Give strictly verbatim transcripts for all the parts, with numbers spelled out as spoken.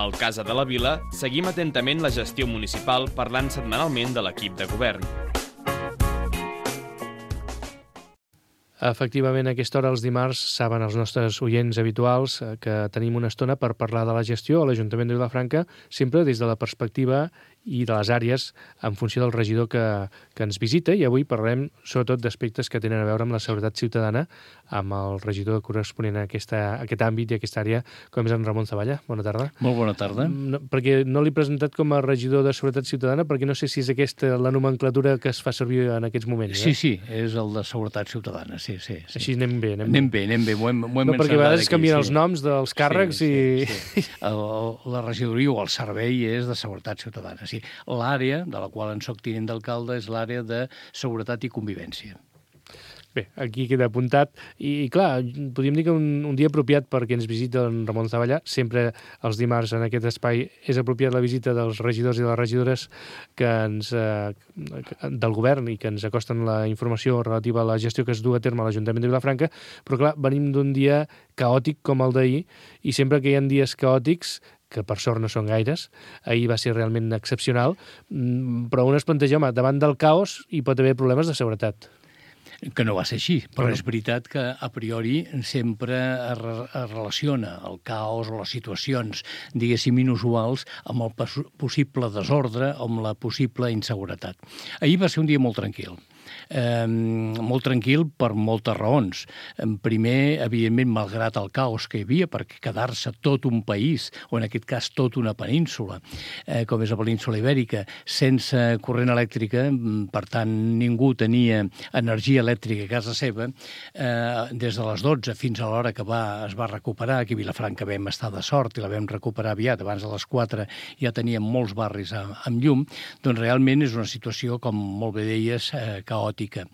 Al Casa de la Vila seguim atentament la gestió municipal parlant setmanalment de l'equip de govern. Efectivament, a aquesta hora, els dimarts, saben els nostres oients habituals que tenim una estona per parlar de la gestió a l'Ajuntament de Vilafranca, sempre des de la perspectiva i de les àrees en funció del regidor que, que ens visita, i avui parlarem sobretot d'aspectes que tenen a veure amb la seguretat ciutadana, amb el regidor corresponent a, aquesta, a aquest àmbit i a aquesta àrea, com és en Ramon Zavalla. Bona tarda. Molt bona tarda. No, perquè no l'he presentat com a regidor de seguretat ciutadana, perquè no sé si és aquesta la nomenclatura que es fa servir en aquests moments. Sí, eh? sí, és el de seguretat ciutadana, sí, sí. sí. Així anem bé, anem, anem bé. Anem bé, ho hem, ho hem no, perquè a vegades aquí, canvien sí. els noms dels càrrecs sí, i... Sí, sí. El, la regidoria o el servei és de seguretat ciutadana, sí. L'àrea de la qual en soc tinent d'alcalde és l'àrea de seguretat i convivència. Bé, aquí queda apuntat. I, i clar, podríem dir que un, un dia apropiat perquè ens visita en Ramon Zavallà. Sempre els dimarts en aquest espai és apropiat la visita dels regidors i les regidores que ens, eh, del govern i que ens acosten la informació relativa a la gestió que es du a terme a l'Ajuntament de Vilafranca. Però clar, venim d'un dia caòtic com el d'ahir, i sempre que hi ha dies caòtics, que per sort no són gaires, ahir va ser realment excepcional, però un es planteja, home, davant del caos hi pot haver problemes de seguretat. Que no va ser així, però bueno. És veritat que a priori sempre es, re es relaciona el caos o les situacions, diguéssim, inusuals amb el possible desordre o amb la possible inseguretat. Ahir va ser un dia molt tranquil. Eh, molt tranquil per moltes raons. Primer, evidentment, malgrat el caos que hi havia, perquè quedar-se tot un país, o en aquest cas tot una península, eh, com és la península Ibèrica, sense corrent elèctrica, per tant, ningú tenia energia elèctrica a casa seva, eh, des de les dotze fins a l'hora que va, es va recuperar, aquí a Vilafranca vam estar de sort i la vam recuperar aviat, abans de les quatre ja teníem molts barris amb, amb llum, doncs realment és una situació, com molt bé deies, eh, caòtica.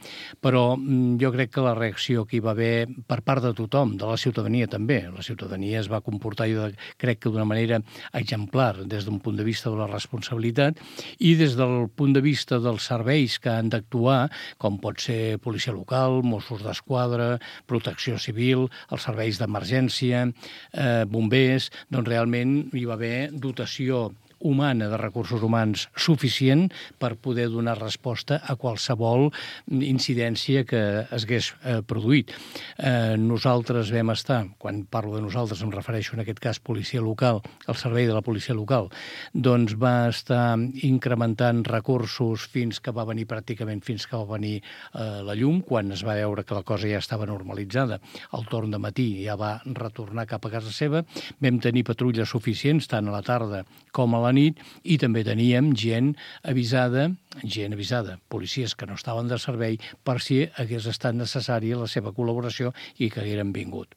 Però jo crec que la reacció que hi va haver per part de tothom, de la ciutadania també, la ciutadania es va comportar, jo crec que d'una manera exemplar des d'un punt de vista de la responsabilitat i des del punt de vista dels serveis que han d'actuar, com pot ser policia local, Mossos d'Esquadra, protecció civil, els serveis d'emergència, eh, bombers, doncs realment hi va haver dotació humana, de recursos humans suficient per poder donar resposta a qualsevol incidència que es hagués eh, produït. Eh, nosaltres vam estar, quan parlo de nosaltres em refereixo en aquest cas policia local, el servei de la policia local, doncs va estar incrementant recursos fins que va venir pràcticament fins que va venir eh, la llum, quan es va veure que la cosa ja estava normalitzada. El torn de matí ja va retornar cap a casa seva, vam tenir patrulles suficients tant a la tarda com a la nit, i també teníem gent avisada, gent avisada, policies que no estaven de servei per si hagués estat necessària la seva col·laboració i que hagueren vingut.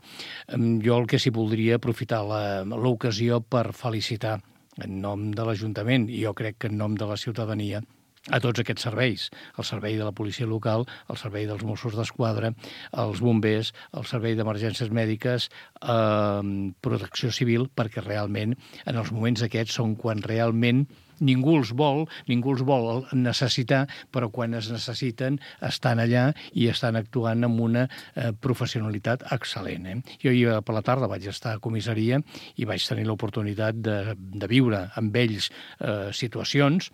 Jo el que sí voldria aprofitar l'ocasió per felicitar en nom de l'Ajuntament i jo crec que en nom de la ciutadania a tots aquests serveis, el servei de la policia local, el servei dels Mossos d'Esquadra, els bombers, el servei d'emergències mèdiques, eh, protecció civil, perquè realment en els moments aquests són quan realment ningú els vol, ningú els vol necessitar, però quan es necessiten estan allà i estan actuant amb una eh, professionalitat excel·lent. Eh? Jo ahir per la tarda vaig estar a comissaria i vaig tenir l'oportunitat de, de viure amb ells eh, situacions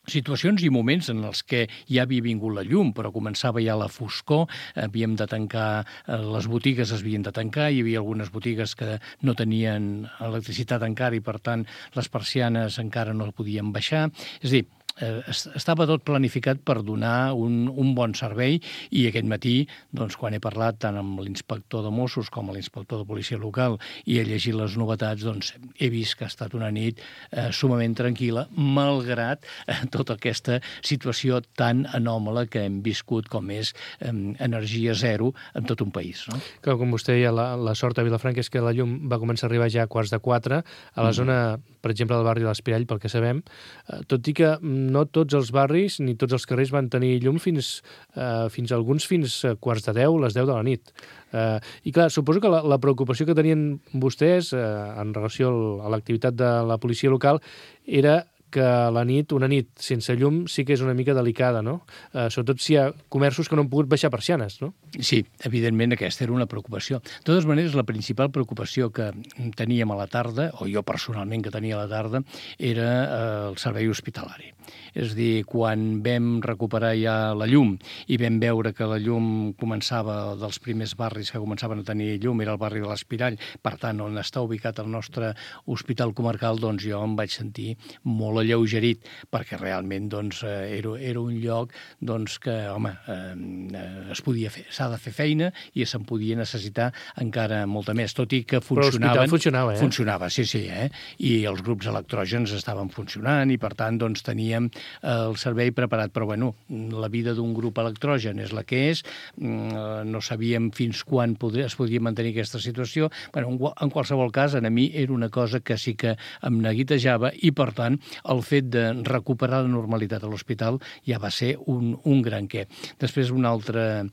situacions i moments en els que ja havia vingut la llum, però començava ja la foscor, havíem de tancar, les botigues es havien de tancar, hi havia algunes botigues que no tenien electricitat encara i, per tant, les persianes encara no podien baixar. És a dir, eh, estava tot planificat per donar un, un bon servei i aquest matí, doncs, quan he parlat tant amb l'inspector de Mossos com amb l'inspector de policia local i he llegit les novetats, doncs he vist que ha estat una nit eh, sumament tranquil·la, malgrat eh, tota aquesta situació tan anòmala que hem viscut com és eh, energia zero en tot un país. No? Que, com vostè deia, la, la sort a Vilafranca és que la llum va començar a arribar ja a quarts de quatre, a la mm. zona, per exemple, del barri de l'Espirall, pel que sabem, eh, tot i que no tots els barris ni tots els carrers van tenir llum fins, eh, fins alguns fins a quarts de deu, les deu de la nit. Eh, I clar, suposo que la, la preocupació que tenien vostès eh, en relació a l'activitat de la policia local era que la nit, una nit sense llum, sí que és una mica delicada, no? Eh, sobretot si hi ha comerços que no han pogut baixar persianes, no? Sí, evidentment aquesta era una preocupació. De totes maneres, la principal preocupació que teníem a la tarda, o jo personalment que tenia a la tarda, era eh, el servei hospitalari. És a dir, quan vam recuperar ja la llum i vam veure que la llum començava, dels primers barris que començaven a tenir llum, era el barri de l'Espirall, per tant, on està ubicat el nostre hospital comarcal, doncs jo em vaig sentir molt alleugerit, perquè realment doncs, era, era un lloc doncs, que, home, eh, es podia fer, s'ha de fer feina i se'n podia necessitar encara molta més, tot i que funcionaven... Però funcionava, eh? Funcionava, sí, sí, eh? I els grups electrògens estaven funcionant i, per tant, doncs, teníem el servei preparat, però bueno, la vida d'un grup electrogen és la que és, no sabíem fins quan poder, es podia mantenir aquesta situació. Bueno, en qualsevol cas, a mi era una cosa que sí que em neguitejava i, per tant, el fet de recuperar la normalitat a l'hospital ja va ser un, un gran què. Després, un altre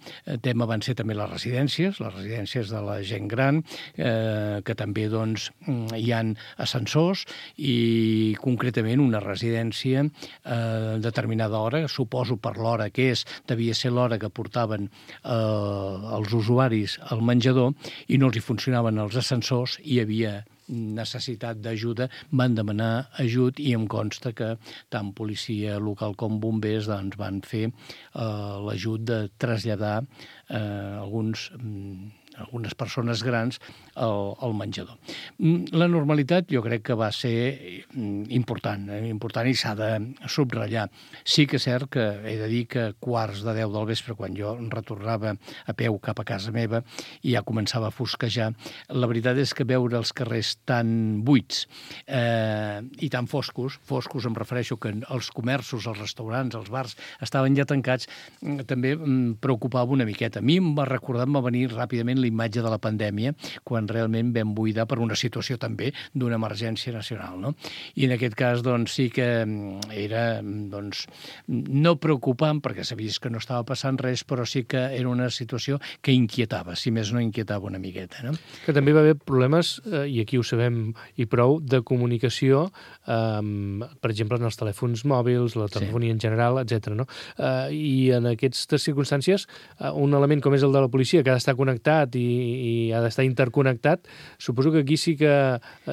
tema van ser també les residències, les residències de la gent gran, eh, que també doncs, hi ha ascensors i, concretament, una residència a eh, determinada hora, suposo per l'hora que és, devia ser l'hora que portaven eh, els usuaris al menjador i no els hi funcionaven els ascensors i hi havia necessitat d'ajuda, van demanar ajut i em consta que tant policia local com bombers doncs, van fer eh, l'ajut de traslladar eh, alguns... algunes persones grans al, al menjador. La normalitat jo crec que va ser important, eh? important i s'ha de subratllar. Sí que és cert que he de dir que quarts de deu del vespre, quan jo retornava a peu cap a casa meva i ja començava a fosquejar, la veritat és que veure els carrers tan buits eh, i tan foscos, foscos em refereixo que els comerços, els restaurants, els bars estaven ja tancats, també em preocupava una miqueta. A mi em va recordar, em va venir ràpidament la imatge de la pandèmia, quan realment vam buidar per una situació també d'una emergència nacional, no? I en aquest cas, doncs, sí que era, doncs, no preocupant, perquè sabies que no estava passant res, però sí que era una situació que inquietava, si més no inquietava una miqueta, no? Que també va haver problemes, eh, i aquí ho sabem i prou, de comunicació, eh, per exemple, en els telèfons mòbils, la telefonia sí. en general, etcètera. No? Eh, I en aquestes circumstàncies, eh, un element com és el de la policia, que ha d'estar connectat i, i ha d'estar interconnectat, suposo que aquí sí que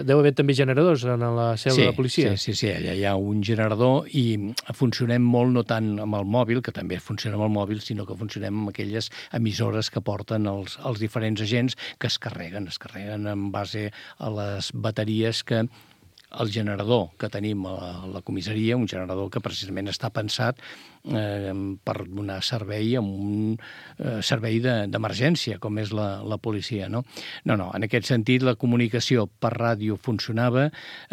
deu haver també generadors en la seu sí, de la policia. Sí, sí, sí, allà hi ha un generador i funcionem molt no tant amb el mòbil, que també funciona amb el mòbil, sinó que funcionem amb aquelles emissores que porten els, els diferents agents que es carreguen, es carreguen en base a les bateries que el generador que tenim a la comissaria, un generador que precisament està pensat eh, per donar servei a un eh, servei d'emergència, com és la, la policia, no? No, no, en aquest sentit la comunicació per ràdio funcionava,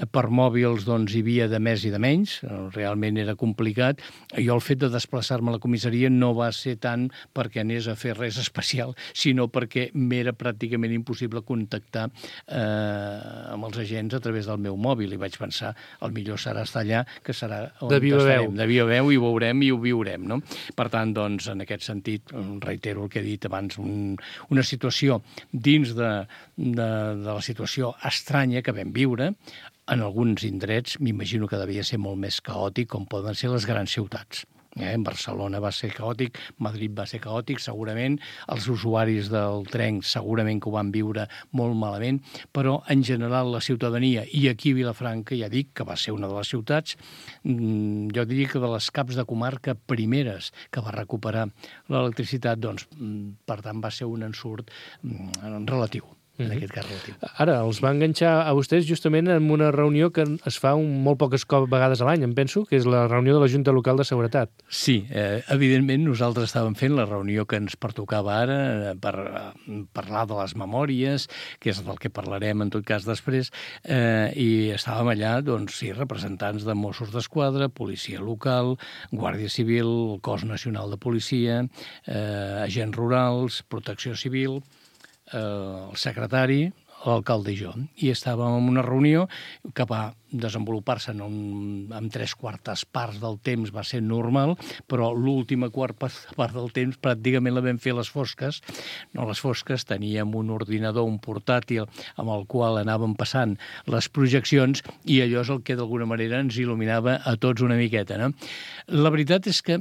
per mòbils doncs hi havia de més i de menys, realment era complicat. Jo el fet de desplaçar-me a la comissaria no va ser tant perquè anés a fer res especial, sinó perquè m'era pràcticament impossible contactar eh, amb els agents a través del meu mòbil. I vaig pensar, el millor serà estar allà, que serà on de viva estarem. Veu. De viva veu, i ho veurem i ho viurem, no? Per tant, doncs, en aquest sentit, reitero el que he dit abans, un, una situació dins de, de, de la situació estranya que vam viure, en alguns indrets, m'imagino que devia ser molt més caòtic, com poden ser les grans ciutats. Eh? Barcelona va ser caòtic, Madrid va ser caòtic, segurament, els usuaris del tren segurament que ho van viure molt malament, però en general la ciutadania, i aquí a Vilafranca ja dic que va ser una de les ciutats, jo diria que de les caps de comarca primeres que va recuperar l'electricitat, doncs, per tant, va ser un ensurt relatiu. En aquest cas relatiu. Ara, els va enganxar a vostès justament en una reunió que es fa un, molt poques vegades a l'any, em penso, que és la reunió de la Junta Local de Seguretat. Sí, eh, evidentment nosaltres estàvem fent la reunió que ens pertocava ara eh, per eh, parlar de les memòries, que és del que parlarem en tot cas després, eh, i estàvem allà, doncs sí, representants de Mossos d'Esquadra, policia local, Guàrdia Civil, el Cos Nacional de Policia, eh, agents rurals, protecció civil, el secretari, l'alcalde i jo. I estàvem en una reunió cap a desenvolupar-se en, un, en tres quartes parts del temps va ser normal, però l'última quarta part del temps pràcticament la vam fer a les fosques. No a les fosques, teníem un ordinador, un portàtil, amb el qual anàvem passant les projeccions i allò és el que d'alguna manera ens il·luminava a tots una miqueta. No? La veritat és que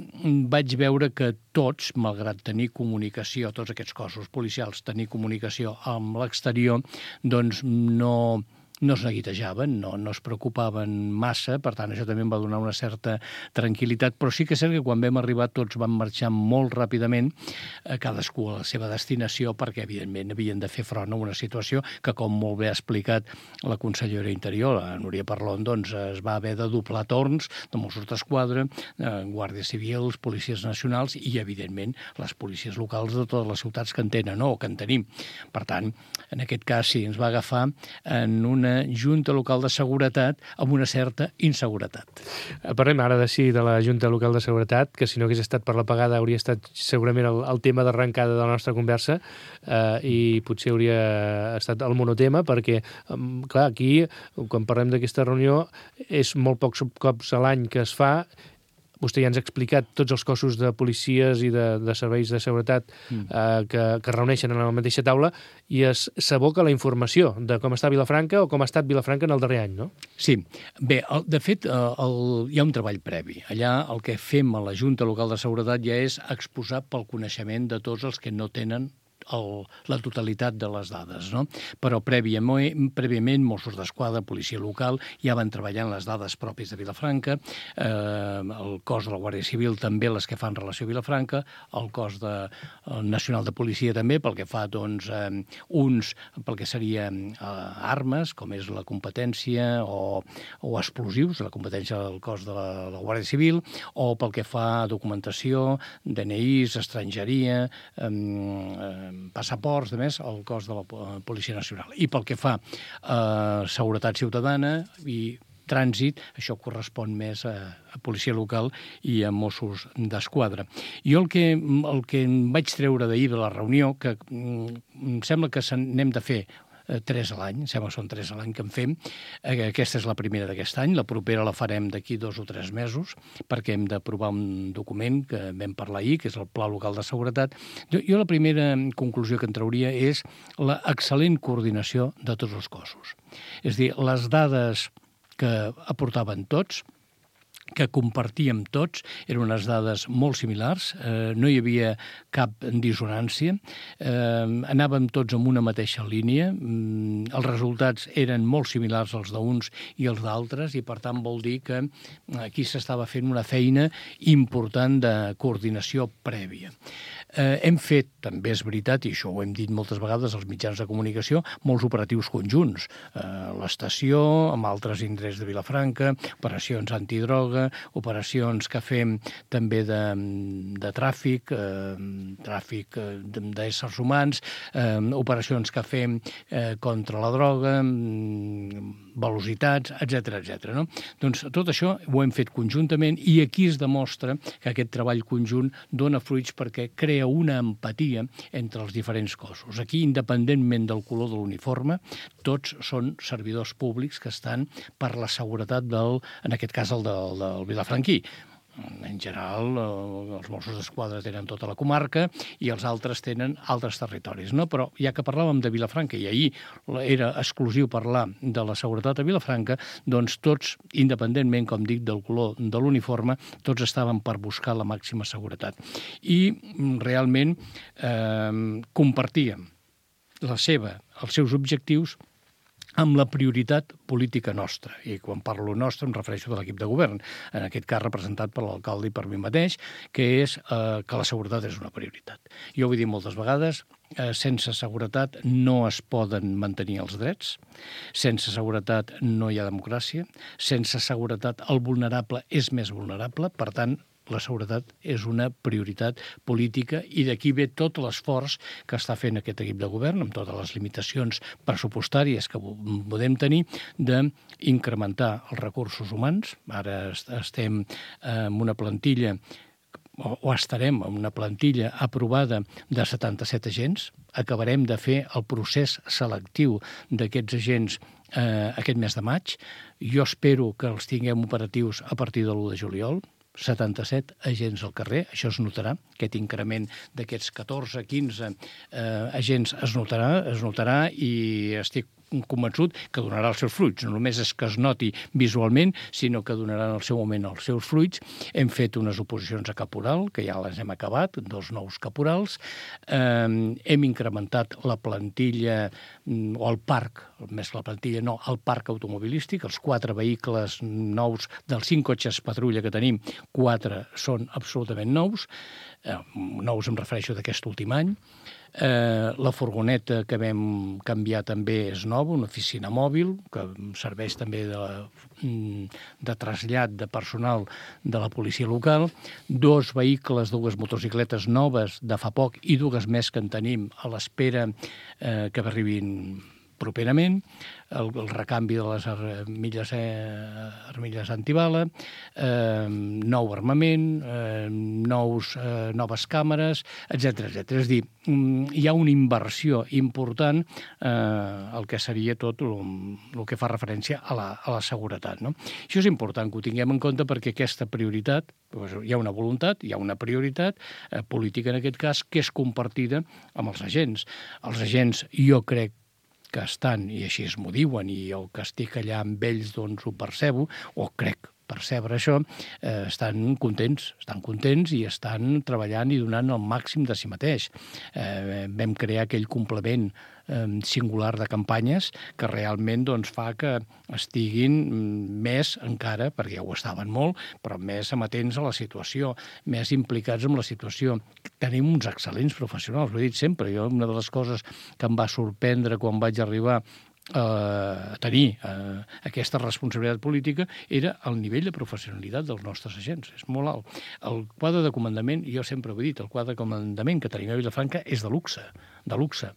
vaig veure que tots, malgrat tenir comunicació, tots aquests cossos policials, tenir comunicació amb l'exterior, doncs no... no es neguitejaven, no, no es preocupaven massa, per tant, això també em va donar una certa tranquil·litat, però sí que és cert que quan vam arribar tots van marxar molt ràpidament, eh, cadascú a la seva destinació, perquè, evidentment, havien de fer front a una situació que, com molt bé ha explicat la consellera Interior, la Núria Parlon, doncs es va haver de doblar torns de Mossos d'Esquadra, eh, guàrdies civils, policies nacionals i, evidentment, les policies locals de totes les ciutats que en tenen, no, o que en tenim. Per tant, en aquest cas, sí, ens va agafar en una Junta Local de Seguretat amb una certa inseguretat. Parlem ara de sí de la Junta Local de Seguretat, que si no hagués estat per la pagada hauria estat segurament el, el tema d'arrencada de la nostra conversa eh, i potser hauria estat el monotema, perquè, clar, aquí, quan parlem d'aquesta reunió, és molt pocs cops a l'any que es fa. Vostè ja ens ha explicat tots els cossos de policies i de, de serveis de seguretat mm. eh, que, que es reuneixen en la mateixa taula i es s'aboca la informació de com està Vilafranca o com ha estat Vilafranca en el darrer any, no? Sí. Bé, el, de fet, el, hi ha un treball previ. Allà el que fem a la Junta Local de Seguretat ja és exposar pel coneixement de tots els que no tenen el, la totalitat de les dades, no? Però prèviament, prèviament Mossos d'Esquadra, policia local, ja van treballant les dades pròpies de Vilafranca, eh, el cos de la Guàrdia Civil també les que fan relació a Vilafranca, el cos de, el nacional de policia també, pel que fa, doncs, eh, uns pel que seria eh, armes, com és la competència, o, o explosius, la competència del cos de la, la Guàrdia Civil, o pel que fa a documentació, D N Is, estrangeria, eh, eh, passaports, de més, el cos de la Policia Nacional. I pel que fa a seguretat ciutadana i trànsit, això correspon més a, a policia local i a Mossos d'Esquadra. Jo el que, el que em vaig treure d'ahir de la reunió, que em sembla que n'hem de fer tres a l'any, sembla que són tres a l'any que en fem. Aquesta és la primera d'aquest any, la propera la farem d'aquí dos o tres mesos, perquè hem d'aprovar un document que vam parlar ahir, que és el Pla Local de Seguretat. Jo, jo la primera conclusió que en trauria és la excel·lent coordinació de tots els cossos. És a dir, les dades que aportaven tots, que compartíem tots, eren unes dades molt similars, eh, no hi havia cap dissonància, eh, anàvem tots en una mateixa línia, mm, els resultats eren molt similars als d'uns i els d'altres, i per tant vol dir que aquí s'estava fent una feina important de coordinació prèvia. Eh, hem fet, també és veritat, i això ho hem dit moltes vegades als mitjans de comunicació, molts operatius conjunts. Eh, l'estació, amb altres indrets de Vilafranca, operacions antidroga, operacions que fem també de, de tràfic, eh, tràfic d'éssers humans, eh, operacions que fem eh, contra la droga, velocitats, etcètera, etcètera. No? Doncs tot això ho hem fet conjuntament i aquí es demostra que aquest treball conjunt dona fruits perquè crea una empatia entre els diferents cossos. Aquí, independentment del color de l'uniforme, tots són servidors públics que estan per la seguretat del, en aquest cas, el del, del vilafranquí. En general, els Mossos d'Esquadra tenen tota la comarca i els altres tenen altres territoris, no? Però ja que parlàvem de Vilafranca i ahir era exclusiu parlar de la seguretat a Vilafranca, doncs tots, independentment, com dic, del color de l'uniforme, tots estaven per buscar la màxima seguretat. I realment eh, compartíem la seva, els seus objectius amb la prioritat política nostra. I quan parlo nostra em refereixo de l'equip de govern, en aquest cas representat per l'alcalde i per mi mateix, que és eh, que la seguretat és una prioritat. Jo ho he dit moltes vegades, eh, sense seguretat no es poden mantenir els drets, sense seguretat no hi ha democràcia, sense seguretat el vulnerable és més vulnerable, per tant, la seguretat és una prioritat política i d'aquí ve tot l'esforç que està fent aquest equip de govern, amb totes les limitacions pressupostàries que podem tenir, d'incrementar els recursos humans. Ara estem en una plantilla o, o estarem amb una plantilla aprovada de setanta-set agents. Acabarem de fer el procés selectiu d'aquests agents eh, aquest mes de maig. Jo espero que els tinguem operatius a partir de l'u de juliol. setanta-set agents al carrer, això es notarà, aquest increment d'aquests catorze, quinze eh, agents es notarà, es notarà i estic convençut que donarà els seus fruits. No només és que es noti visualment, sinó que donaran al seu moment els seus fruits. Hem fet unes oposicions a caporal, que ja les hem acabat, dos nous caporals. Eh, hem incrementat la plantilla, o el parc, més que la plantilla, no, el parc automobilístic, els quatre vehicles nous dels cinc cotxes patrulla que tenim, quatre són absolutament nous. Eh, nous em refereixo d'aquest últim any. Eh, la furgoneta que vam canviar també és nova, una oficina mòbil, que serveix també de, de trasllat de personal de la policia local, dos vehicles, dues motocicletes noves de fa poc i dues més que en tenim a l'espera eh, que arribin properament, el, el recanvi de les armilles, eh, armilles antibala, eh, nou armament, eh, nous, eh, noves càmeres, etcètera etcètera. És a dir, hi ha una inversió important eh, el que seria tot el, el que fa referència a la, a la seguretat. No? Això és important que ho tinguem en compte perquè aquesta prioritat, doncs hi ha una voluntat, hi ha una prioritat eh, política en aquest cas, que és compartida amb els agents. Els agents, jo crec, que estan, i així es m'ho diuen, i el que estic allà amb ells doncs ho percebo, o crec percebre això, eh, estan contents, estan contents i estan treballant i donant el màxim de si mateix. Eh, vam crear aquell complement eh, singular de campanyes que realment doncs, fa que estiguin més encara, perquè ja ho estaven molt, però més amatents a la situació, més implicats en la situació. Tenim uns excel·lents professionals, ho he dit sempre. Jo, una de les coses que em va sorprendre quan vaig arribar a tenir eh, aquesta responsabilitat política era el nivell de professionalitat dels nostres agents. És molt alt. El quadre de comandament, jo sempre ho he dit, el quadre de comandament que tenim a Vilafranca és de luxe, de luxe.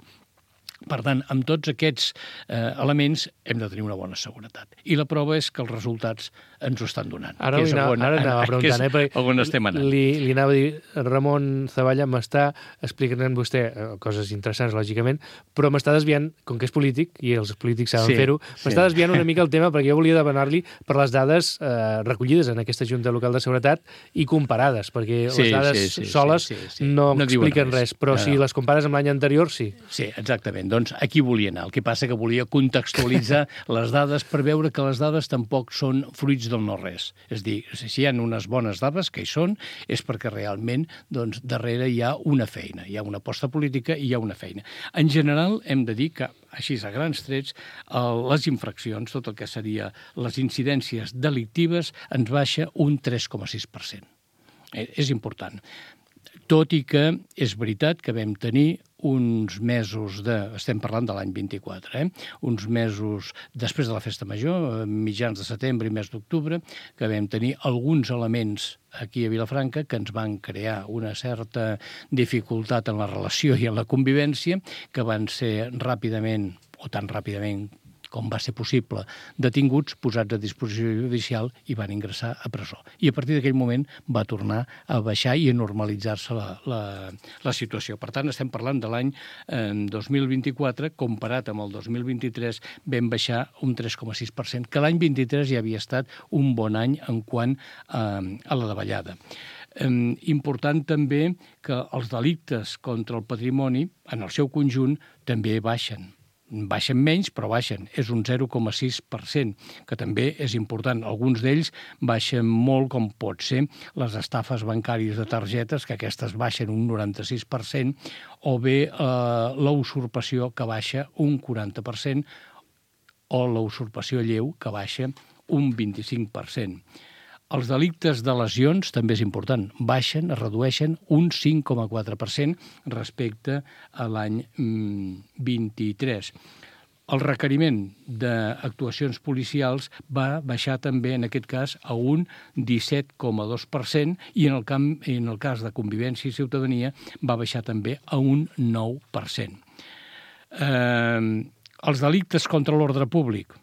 Per tant, amb tots aquests eh, elements hem de tenir una bona seguretat. I la prova és que els resultats ens ho estan donant. Ara, que és anava, on, ara anava preguntant, eh? Perquè on estem anant. Li, li anava a dir, Ramon Zavalla m'està explicant vostè eh, coses interessants, lògicament, però m'està desviant, com que és polític, i els polítics saben sí, fer-ho, m'està sí. desviant una mica el tema, perquè jo volia demanar-li per les dades eh, recollides en aquesta Junta Local de Seguretat i comparades, perquè sí, les dades sí, sí, soles sí, sí, sí. no, no expliquen res, res, però no, si no. les compares amb l'any anterior, sí. Sí, exactament. Doncs aquí volia anar. El que passa que volia contextualitzar les dades per veure que les dades tampoc són fruits del no-res. És a dir, si hi ha unes bones dades, que hi són, és perquè realment doncs, darrere hi ha una feina, hi ha una aposta política i hi ha una feina. En general, hem de dir que, així a grans trets, les infraccions, tot el que seria les incidències delictives, ens baixa un tres coma sis per cent. És important. Tot i que és veritat que vam tenir uns mesos de... Estem parlant de l'any vint-i-quatre, eh? Uns mesos després de la Festa Major, mitjans de setembre i mes d'octubre, que vam tenir alguns elements aquí a Vilafranca que ens van crear una certa dificultat en la relació i en la convivència, que van ser ràpidament, o tan ràpidament com va ser possible, detinguts, posats a disposició judicial i van ingressar a presó. I a partir d'aquell moment va tornar a baixar i a normalitzar-se la, la, la situació. Per tant, estem parlant de l'any eh, dos mil vint-i-quatre, comparat amb el dos mil vint-i-tres, vam baixar un tres coma sis per cent, que l'any vint-i-tres ja havia estat un bon any en quant eh, a la davallada. Eh, important també que els delictes contra el patrimoni, en el seu conjunt, també baixen. Baixen menys, però baixen. És un zero coma sis per cent, que també és important. Alguns d'ells baixen molt, com pot ser les estafes bancàries de targetes, que aquestes baixen un noranta-sis per cent, o bé eh, la usurpació, que baixa un quaranta per cent, o la usurpació lleu, que baixa un vint-i-cinc per cent. Els delictes de lesions també és important. Baixen, es redueixen un cinc coma quatre per cent respecte a l'any vint-i-tres. El requeriment d'actuacions policials va baixar també, en aquest cas, a un disset coma dos per cent i en el, camp, en el cas de convivència i ciutadania va baixar també a un nou per cent. Eh, els delictes contra l'ordre públic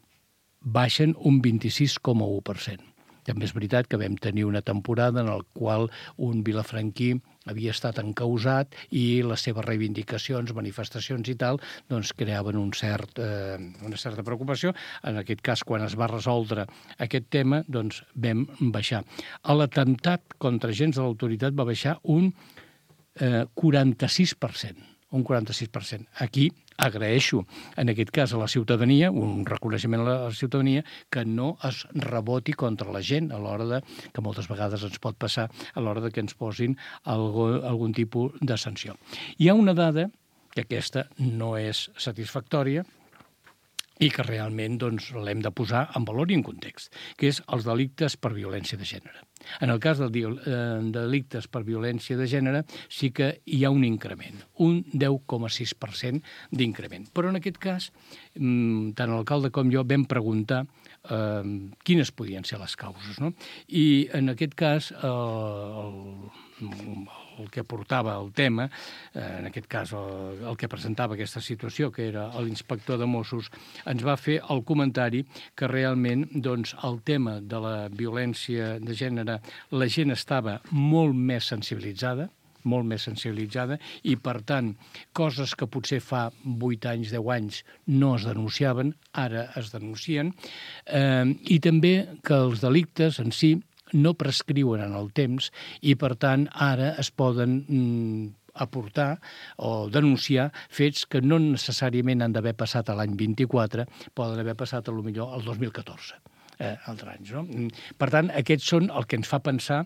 baixen un vint-i-sis coma u per cent. També és veritat que vam tenir una temporada en la qual un vilafranquí havia estat encausat i les seves reivindicacions, manifestacions i tal, doncs creaven un cert, eh, una certa preocupació. En aquest cas, quan es va resoldre aquest tema, doncs vam baixar. L'atemptat contra agents de l'autoritat va baixar un eh, quaranta-sis per cent. Un quaranta-sis per cent. Aquí agraeixo, en aquest cas, a la ciutadania, un reconeixement a la ciutadania, que no es reboti contra la gent a l'hora de, que moltes vegades ens pot passar, a l'hora de que ens posin algo, algun tipus de sanció. Hi ha una dada, que aquesta no és satisfactòria, i que realment doncs, l'hem de posar en valor i en context, que és els delictes per violència de gènere. En el cas dels delictes per violència de gènere sí que hi ha un increment, un deu coma sis per cent d'increment. Però en aquest cas, tant l'alcalde com jo vam preguntar eh, quines podien ser les causes, no? I en aquest cas eh, el, el que portava el tema, eh, en aquest cas el, el que presentava aquesta situació, que era l'inspector de Mossos, ens va fer el comentari que realment doncs, el tema de la violència de gènere, la gent estava molt més sensibilitzada, molt més sensibilitzada, i per tant, coses que potser fa vuit anys, deu anys no es denunciaven, ara es denuncien, eh, i també que els delictes en si no prescriuen en el temps i, per tant, ara es poden mm, aportar o denunciar fets que no necessàriament han d'haver passat a l'any vint-i-quatre, poden haver passat, a lo millor, al dos mil catorze. Eh, altres anys, no? Per tant, aquests són el que ens fa pensar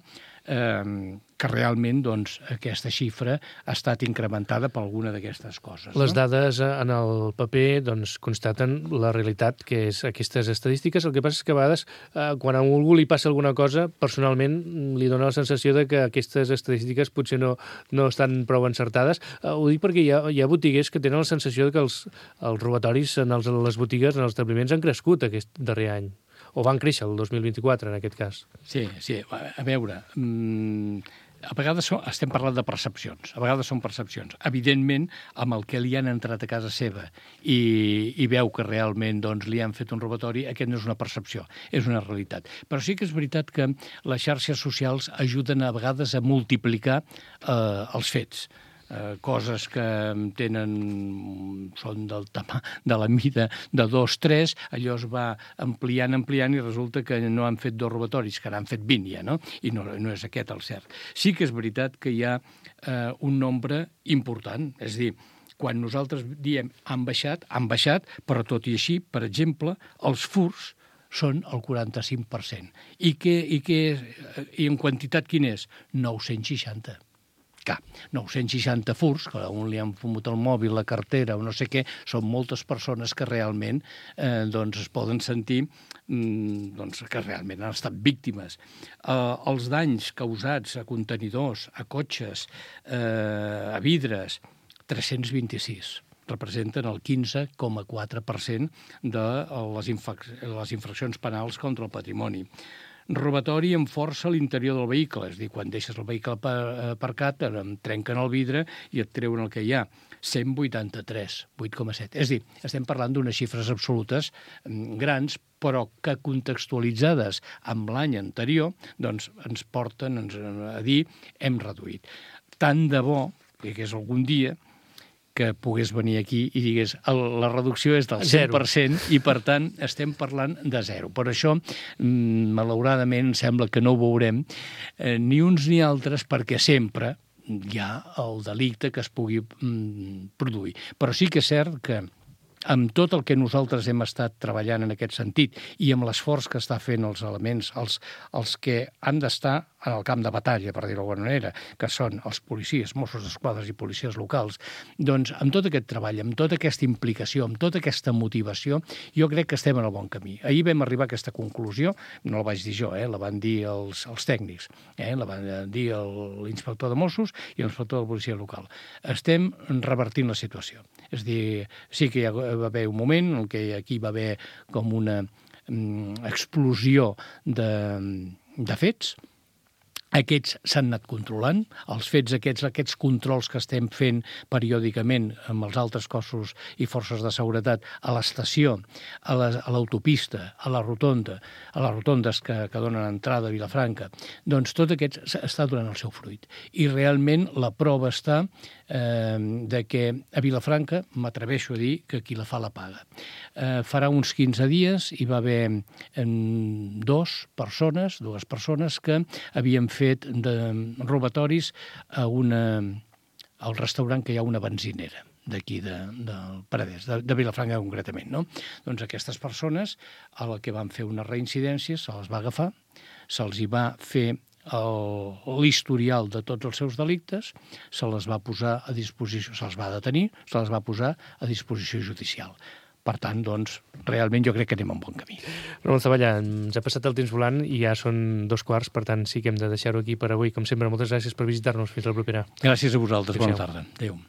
eh, que realment doncs, aquesta xifra ha estat incrementada per alguna d'aquestes coses. Les no? dades en el paper doncs, constaten la realitat, que és aquestes estadístiques. El que passa és que a vegades, eh, quan a algú li passa alguna cosa, personalment li dona la sensació de que aquestes estadístiques potser no, no estan prou encertades. Eh, ho dic perquè hi ha, hi ha botiguers que tenen la sensació que els, els robatoris en els, les botigues, en els establiments, han crescut aquest darrer any. O van créixer el dos mil vint-i-quatre, en aquest cas. Sí, sí. A veure, mmm, a vegades som, estem parlant de percepcions, a vegades són percepcions. Evidentment, amb el que li han entrat a casa seva i, i veu que realment doncs, li han fet un robatori, aquest no és una percepció, és una realitat. Però sí que és veritat que les xarxes socials ajuden a vegades a multiplicar eh, els fets. Eh, coses que tenen, són del tamà, de la mida de dos, tres, allò es va ampliant, ampliant, i resulta que no han fet dos robatoris, que n'han fet vint ja, no? I no, no és aquest el cert. Sí que és veritat que hi ha eh, un nombre important, és a dir, quan nosaltres diem han baixat, han baixat, però tot i així, per exemple, els furts són el quaranta-cinc per cent. I, que, i, que, i en quantitat quin és? nou-cents seixanta. Clar, nou-cents seixanta furts, que a un li han fumut el mòbil, la cartera o no sé què, són moltes persones que realment eh, doncs es poden sentir mm, doncs, que realment han estat víctimes. Eh, els danys causats a contenidors, a cotxes, eh, a vidres, tres-cents vint-i-sis. Representen el quinze coma quatre per cent de les, infrac- les infraccions penals contra el patrimoni. Robatori amb força a l'interior del vehicle, és a dir, quan deixes el vehicle aparcat, trenquen el vidre i et treuen el que hi ha. cent vuitanta-tres, vuit coma set. És a dir, estem parlant d'unes xifres absolutes grans, però que contextualitzades amb l'any anterior, doncs ens porten a dir hem reduït. Tant de bo, que és algun dia, que pogués venir aquí i digués la reducció és del cent per cent i, per tant, estem parlant de zero. Per això, malauradament, sembla que no ho veurem eh, ni uns ni altres, perquè sempre hi ha el delicte que es pugui mm, produir. Però sí que és cert que amb tot el que nosaltres hem estat treballant en aquest sentit i amb l'esforç que està fent els elements, els, els que han d'estar en el camp de batalla, per dir-ho d'alguna manera, que són els policies, Mossos d'Esquadra i policies locals, doncs amb tot aquest treball, amb tota aquesta implicació, amb tota aquesta motivació, jo crec que estem en el bon camí. Ahir vam arribar a aquesta conclusió, no la vaig dir jo, eh, la van dir els, els tècnics, eh, la van dir l'inspector de Mossos i l'inspector de policia local. Estem revertint la situació. És a dir, sí que hi va haver un moment en què aquí va haver com una mm, explosió de, de fets, Aquests s'han anat controlant. Els fets aquests, aquests controls que estem fent periòdicament amb els altres cossos i forces de seguretat a l'estació, a l'autopista, a la rotonda, a les rotondes que, que donen entrada a Vilafranca, doncs tot aquest està donant el seu fruit. I realment la prova està eh, de que a Vilafranca, m'atreveixo a dir que qui la fa la paga. Eh, farà uns quinze dies hi va haver eh, dos persones, dues persones que havien fet fet de robatoris a una, al restaurant que hi ha una benzinera d'aquí de, del Paradès, de, de Vilafranca concretament, no? Doncs aquestes persones a la que van fer una reincidència se les va agafar, se'ls hi va fer l'historial de tots els seus delictes, se les va posar a disposició, se'ls va detenir, se les va posar a disposició judicial. Per tant, doncs, realment jo crec que anem en bon camí. Ramon Zavallà, ens ha passat el temps volant i ja són dos quarts, per tant sí que hem de deixar-ho aquí per avui. Com sempre, moltes gràcies per visitar-nos. Fins la propera. Gràcies a vosaltres. Bona tarda. Adéu.